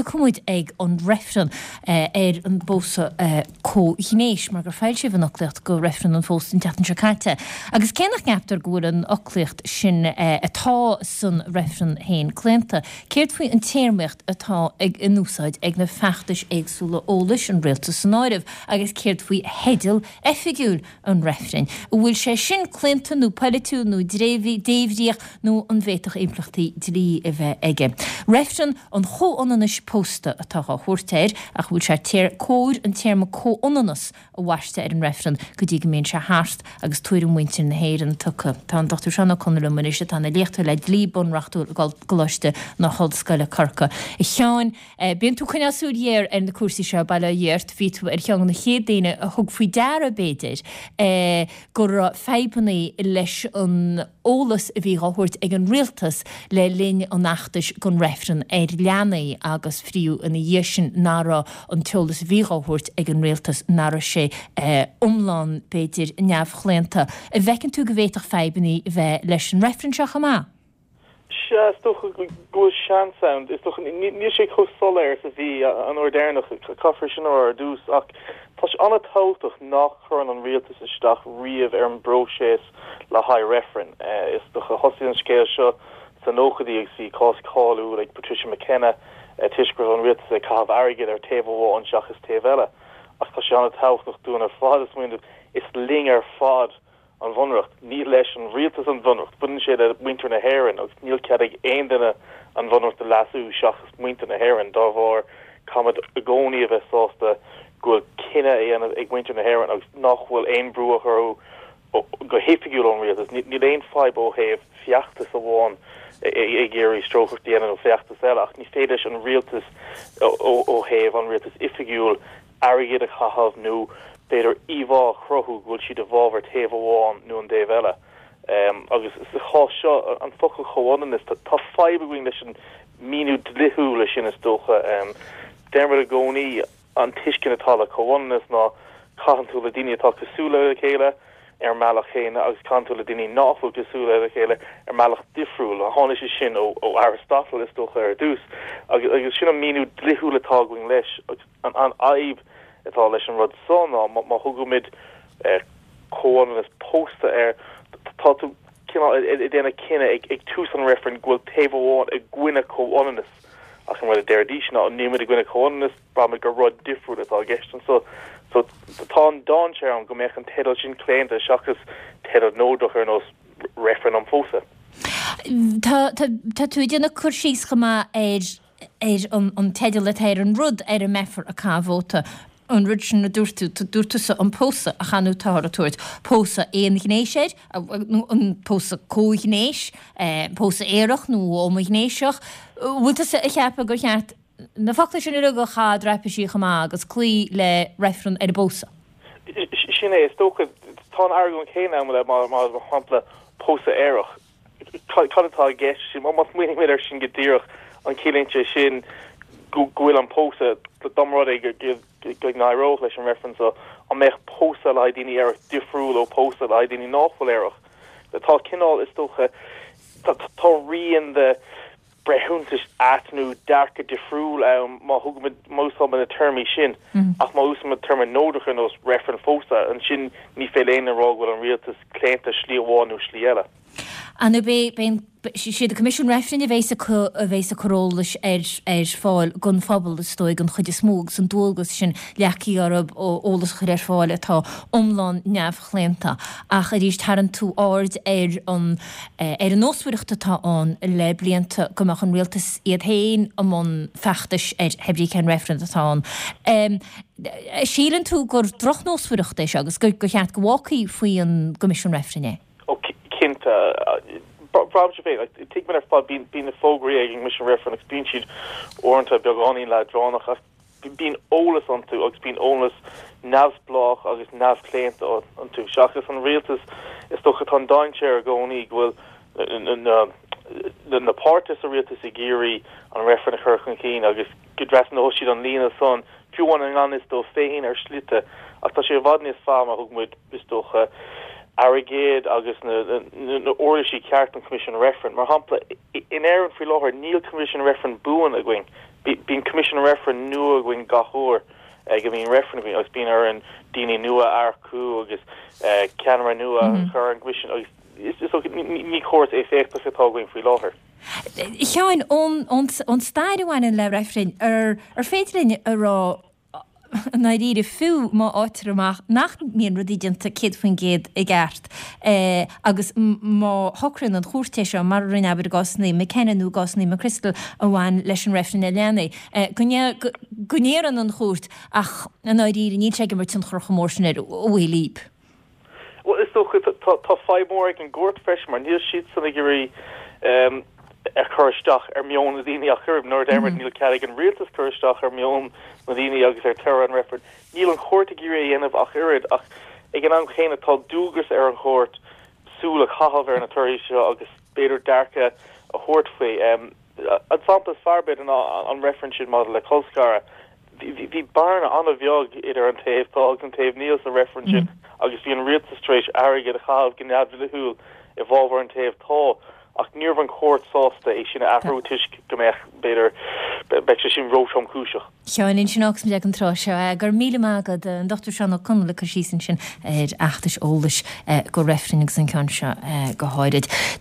tiocfaidh muid ag an reifreann ar an bpósadh comhghnéis, mar gur foilsíodh an fhoclaíocht go reifreann an phósta an tseachtain seo caite. Agus cé nach gceaptar go bhfuil an fhoclaíocht sin atá san reifreann féin claonta, céard faoi an téarmaíocht atá in úsáid ag na feachtais éagsúla eolais, an rialtas san áireamh, agus céard faoi theideal oifigiúil an reifrinn? An bhfuil sé sin claonta nó polaitiúil nó débhríoch nó an bhféadfadh impleachtaí dlí a bheith aige? Reifreann an chomhionannais pósta atá á thabhairt air, ach an bhfuil sé cóir an téarma comhionannas a bhaisteadh ar an reifreann go dtí go mbíonn sé thart agus tuairim mhuintir na hÉireann tugtha? Tá an Dr Seán Ó Conaill liom anois, atá ina léachtóir le dlí bunreachtúil i gColáiste na hOllscoile, Corcaigh. A Sheáin, Bíonn tú ag coinneáil súil ghéar ar na cúrsaí seo, bail ó Dhia ort. Bhí tú ar cheann de na chéad daoine a thug faoi deara, b'fhéidir, go raibh fadhbanna leis an eolas a bhí á thabhairt ag an rialtas le linn an fheachtais don reifreann ar leanaí agus fiú ina dhiaidh sin nach raibh an t-eolas a bhí á thabhairt ag an rialtas, nach raibh sé iomlán, b'fhéidir, neamhchlaonta. An bhfeiceann tú go bhféadfadh fadhbanna a bheith leis an reifreann seo chomh maith? Sea, is dócha go bhfuil seans ann. Is dócha, níl sé chomh soiléir is a bhí an uair deireanach, caithfear sin a rá ar dtús, ach tá sé an-tábhachtach nach gcuireann an rialtas isteach riamh ar an bpróiseas le haghaidh reifrinn. Is dócha, thosaigh an scéal seo sna nóchaidí agus bhí cás cáiliúil ag Patricia McKenna toisc go raibh an rialtas ag caitheamh airgid ar taobh amháin seachas taobh eile. Ach tá sé an-tábhachtach dúinn ar fad a smaoineamh, is linn ar fad an Bhunreacht. Ní leis an rialtas an Bhunreacht, baineann sé le muintir na hÉireann agus níl cead ag aon duine an Bhunreacht a leasú seachas muintir na hÉireann. Dá bharr, caithfimid i gcónaí a bheith sásta go bhfuil cinneadh á dhéanamh ag muintir na hÉireann agus nach bhfuil aon brú á chur orthu go hoifigiúil ón rialtas. Níl aon fadhb ó thaobh feachtas amháin ag iarraidh strócaireacht a dhéanamh nó feachtas eile ach ní féidir leis an rialtas ó thaobh an rialtas oifigiúil airgead a chaitheamh nó b'fhéidir íomhá a chruthú go bhfuil siad i bhfabhar taobh amháin nó an dtaobh eile. Agus sa chás seo, an focal comhionannas, tá fadhb againn leis an míniú dlíthiúil sin is dócha. Deirimid i gcónaí an tuiscint atá le comhionannas ná caitheann tú le daoine atá cosúil le chéile ar an mbealach chéanna agus caitheann tú le daoine nach bhfuil cosúil le chéile ar mbealach difriúil. Tháinig sé sin ó Aristotle is dócha ar dtús agus sin an míniú dlíthiúil atá againn leis. An fhadhb atá leis an rud so ná má thugaimid comhionannas pósta air, tá tú cineál ag déanamh cinneadh ag tús an reifrinn go bhfuil taobh amháin i gcoinne comhionannas ach an rud a deiridís ná níl muid i gcoinne comhionannas, braithimid gur rud difriúil atá i gceist anso. So tá an dainséar ann go mbeadh an teideal sin claonta seachas teideal neodrach ar nós reifreann um phósadh. Tá tú ag déanamh cur síos chomh maith ar ar an teideal atá ar an rud ar a mbeifear ag caitheamh vóta, an rud sin a dúirt tú, dúirt tusa an pósadh, ach ar ndóigh táthar ag tabhairt pósadh aonghnéis air, nó an pósadh comhghnéis, pósadh aerach nó homaighnéiseach. Bhfuil tusa ag ceapadh gur cheart na focla sin uilig a chaitheamh i dtraipisí chomh maith agus cloí le reifreann ar an bpósadh? Sin é, is dócha, tá an argóint chéanna ann le, mar shampla, pósadh aerach. Cad atá i gceist? Má smaoinímid air sin go díreach, an ciallaíonn sé sin go bhfuil an pósadh, dá mba rud é go n-éireodh leis an reifreann seo, an mbeadh pósadh le haghaidh daoine aerach difriúil ó pósadh le haghaidh daoine nach bhfuil aerach? Tá cineál, is dócha, tá rian de breithiúntais ait nó dearcadh difriúil ann má thugaimid, má úsáidimid na téarmaí sin. Ach má úsáidimid téarma neodrach ar nós reifreann phósadh, ansin ní féidir le éinne a rá go bhfuil an rialtas claonta slí amháin nó slí eile. Ar ndóigh beidh an, siad an Coimisiún Reifrinn a bheas ag, a bheas ag cur eolais ar, ar fáil don phobal is dóigh den chuid is mó agus an dualgas sin leagtha orthu eolas a chur ar fáil atá iomlán neamhchlaonta. Ach arís tharraing tú aird ar an, ar an nósmhaireacht atá ann le blianta go mbeadh an rialtas iad féin i mbun feachtais ar pé brí cén reifreann atá ann. Síleann tú gur drochnósmhaireacht é seo agus gur cheart go bhfágfaí faoi an gCoimisiún Reifrinn é? Ó, cinnte. Braithimse féin, tuigimid ar fad, bíonn na fógraí ag an gCoimisiún Reifrinn agus bíonn siad uaireanta beagáinín leadránach ach bíonn eolas iontu agus bíonn eolas neamhspleách agus neamhchlaonta iontu. Seachas an rialtas, is dócha, tá an dainséar i gcónaí go bhfuil na páirtithe sa rialtas ag iarraidh an reifreann a chur chun cinn agus go dtrasnóidh siad an líne san, fiú amháin i ngan fhios dóibh féin ar shlite. Ach tá sé i bhfad níos fearr má thug muid, is dócha, airgead agus na uirlisí ceart don Choimisiún Reifrinn. Mar shampla, in Éirinn faoi láthair níl Coimisiún Reifrinn buan againn. Bíonn Coimisiún Reifrinn nua againn gach uair go mbíonn reifreann againn agus bíonn orainn daoine nua a earcú agus ceannaire nua a chur ar an gCoimisiún agus is dócha ní córas éifeachtach atá againn faoi láthair. A Sheáin, ón stair a bhaineann le reifrinn, ar féidir linn a rá i ndáiríre, fiú má fhaightear amach nach mbíonn rudaí déanta 100% i gceart agus má shocraíonn an chúirt é seo, mar a rinne, abair, i gcásanna McKenna nó i gcásanna McChrystal a bhain leis an reifreann ar leanaí, go ndéarann an chúirt ach i ndáiríre níl sé ag imirt tionchar chomh mór sin ar bhfuil Líb. Bhuel, is dócha, tá fadhb mhór ag an gcúirt freisin mar níl siadsan ag iarraidh a chur isteach ar meon na daoine ach oiread. Nuair a deir muid níl cead ag an rialtas cur isteach ar meon na daoine agus ar toradh an reifrinn, níl an chúirt ag iarraidh a dhéanamh ach oiread. Ach ag an am chéanna tá dualgas ar an chúirt súil a chaitheamh ar na torthaí seo agus b'fhéidir dearcadh a thabhairt faoi. An sampla is fearr b'fhéidir ná an reifreann sin maidir le colscaradh. Bhí bearna an-bheag idir an taobh tá agus an taobh níl sa reifreann sin agus bhí an rialtas tar éis airgead a chaitheamh go neamhdhlíthiúil i bhfabhar an taobh tá ach ní raibh an chúirt sásta é sin a athrú toisc go mbeadh, b'fhéidir, beidh sé sin róthromchúiseach. Sheáin, ansin agus muid ag an tráth seo, go raibh míle maith agat, an Dr Seán Ó Conaill ag cur síos ansin ar fheachtais eolais go reifrinn agus an ceann seo go háirid.